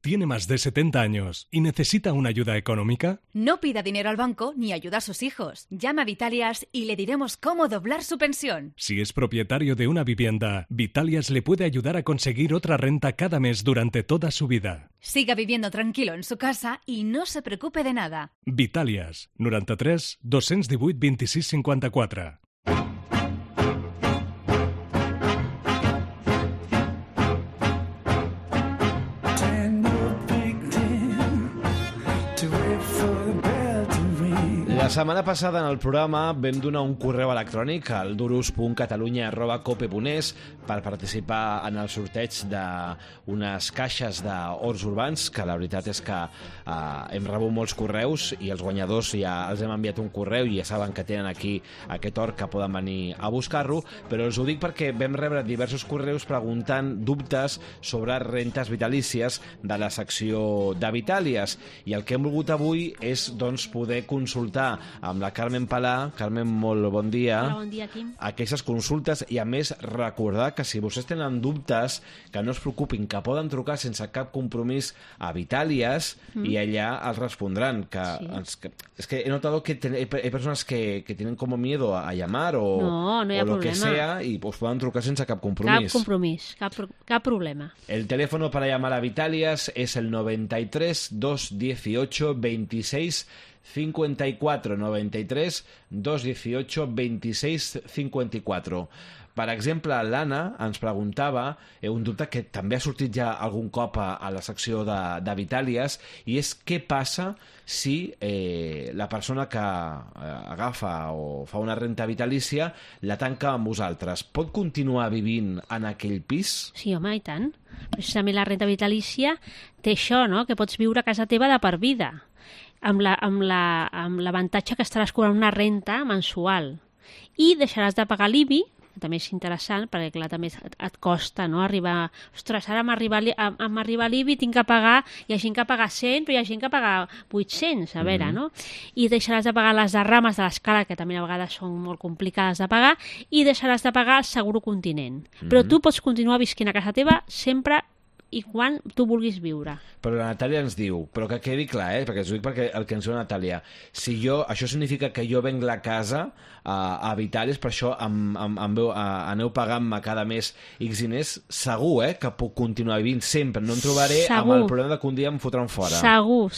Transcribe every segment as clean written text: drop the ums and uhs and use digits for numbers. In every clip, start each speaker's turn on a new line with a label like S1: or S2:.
S1: ¿Tiene más de 70 años y necesita una ayuda económica?
S2: No pida dinero al banco ni ayuda a sus hijos. Llama a Vitalias y le diremos cómo doblar su pensión.
S1: Si es propietario de una vivienda, Vitalias le puede ayudar a conseguir otra renta cada mes durante toda su vida.
S2: Siga viviendo tranquilo en su casa y no se preocupe de nada.
S1: Vitalias, 93 218 26 54.
S3: La setmana passada en el programa vam donar un correu electrònic al durus.catalunya@cope.es per participar en el sorteig d'unes caixes d'horts urbans, que la veritat és que hem rebut molts correus i els guanyadors ja els hem enviat un correu i ja saben que tenen aquí aquest hort, que poden venir a buscar-lo, però us ho dic perquè vam rebre diversos correus preguntant dubtes sobre rentes vitalícies de la secció de Vitàlies, i el que hem volgut avui és doncs, poder consultar amb la Carmen Palà. Carmen, molt bon dia.
S4: Hola, bon dia, Quim.
S3: Aquestes consultes, i a més recordar que si vostès tenen dubtes, que no es preocupin, que poden trucar sense cap compromís a Vitàlies i allà els respondran. Es que he notado que hay personas que tienen como miedo a llamar o lo que sea, y pues puedan trucar sense cap compromís.
S4: Cap compromís, cap problema.
S3: El teléfono para llamar a Vitàlies es el 93 218 26 54, 93 218 26 54. Per exemple, l'Anna ens preguntava un dubte que també ha sortit ja algun cop a la secció de Vitàlies, i és què passa si la persona que agafa o fa una renta vitalícia la tanca amb vosaltres. Pot continuar vivint en aquell pis?
S4: Sí, home, i tant. Precisament la renta vitalícia té això, no?, que pots viure a casa teva de per vida, amb l'avantatge que estaràs cobrant una renta mensual i deixaràs de pagar l'IBI, que també és interessant, perquè clar, també et costa, no?, arribar... Ostres, ara m'arriba l'IBI, tinc que pagar... Hi ha gent que paga 100, però hi ha gent que paga 800, a veure, no? I deixaràs de pagar les derrames de l'escala, que també a vegades són molt complicades de pagar, i deixaràs de pagar el seguro continent. Però tu pots continuar visquent a casa teva sempre i quan tu vulguis viure.
S3: Però la Natàlia ens diu, però que quedi clar, perquè us ho dic perquè el que ens diu la Natàlia, si això significa que jo venc la casa a Vitàlies, per això aneu pagant-me cada mes X diners, segur que puc continuar vivint sempre, no em trobaré amb el problema de que un dia em fotran fora.
S4: Segur,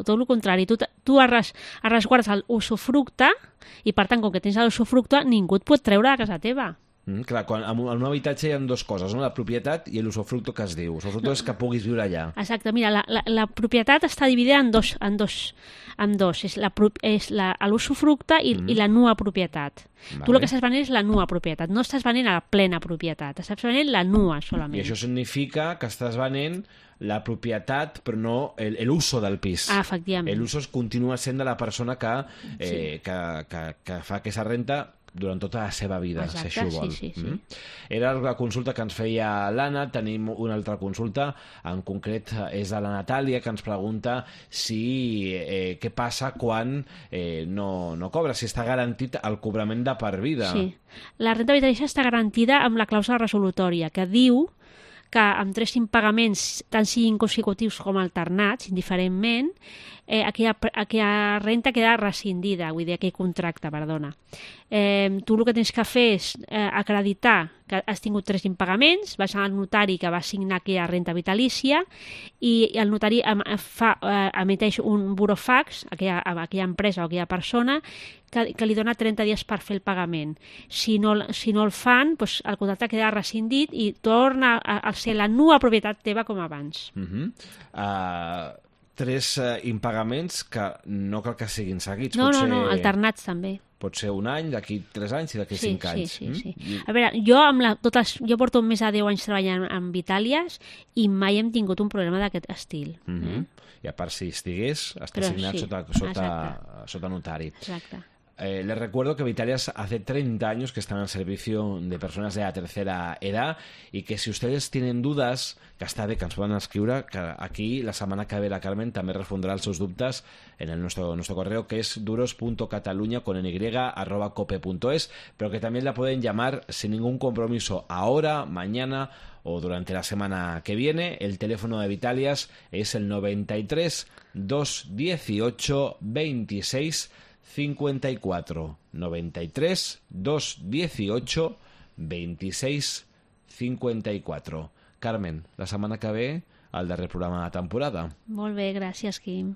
S4: tot el contrari. Tu resguardes l'usufructe i per tant, com que tens l'usufructe, ningú et pot treure de casa teva.
S3: Clar, en un habitatge hi ha dues coses, no? La propietat i l'usufructo, que es diu. L'usufructo és que puguis viure allà.
S4: Exacte, mira, la propietat està dividida en dos. És l'usufructe i la nua propietat. Tu el que estàs venent és la nua propietat, no estàs venent a la plena propietat, estàs venent la nua solament.
S3: I això significa que estàs venent la propietat, però no l'uso del pis.
S4: Ah, efectivament.
S3: L'uso continua sent de la persona que fa aquesta renta durant tota la seva vida.
S4: Exacte,
S3: si això vol.
S4: Sí.
S3: Era la consulta que ens feia l'Anna. Tenim una altra consulta, en concret és de la Natàlia, que ens pregunta què passa quan no cobra, si està garantit el cobrament de per vida.
S4: Sí, la renta vitalícia està garantida amb la clàusula resolutòria, que diu que amb 3 impagaments, tant siguin consecutius com alternats, indiferentment, aquella renta queda rescindida, vull dir, aquell contracte, perdona. Tu el que tens que fer és acreditar que has tingut 3 impagaments, vas al notari que va signar aquella renta vitalícia i el notari emeteix un burofax a aquella empresa o a aquella persona que li dona 30 dies per fer el pagament. Si no el fan, doncs el contracte queda rescindit i torna a ser la nua propietat teva com abans.
S3: 3 impagaments que no cal que siguin seguits.
S4: No, alternats també.
S3: Pot ser un any, d'aquí 3 anys i d'aquí 5 anys.
S4: Sí. A veure, jo porto més de 10 anys treballant en Vitàlies i mai hem tingut un problema d'aquest estil.
S3: I a part, si estigués, està signat sota notari.
S4: Exacte.
S3: Les recuerdo que Vitalias hace 30 años que están al servicio de personas de la tercera edad y que si ustedes tienen dudas, que està bé que ens poden escriure, que aquí la setmana que ve la Carmen també respondrà els seus dubtes en nuestro correo, que es duros.cataluña@cope.es, pero que también la pueden llamar sin ningún compromiso ahora, mañana o durante la semana que viene. El teléfono de Vitalias es el 93 218 26 54, 93 218 26 54. Carmen, la setmana que ve, el darrer programa de la temporada.
S4: Molt bé, gràcies, Quim.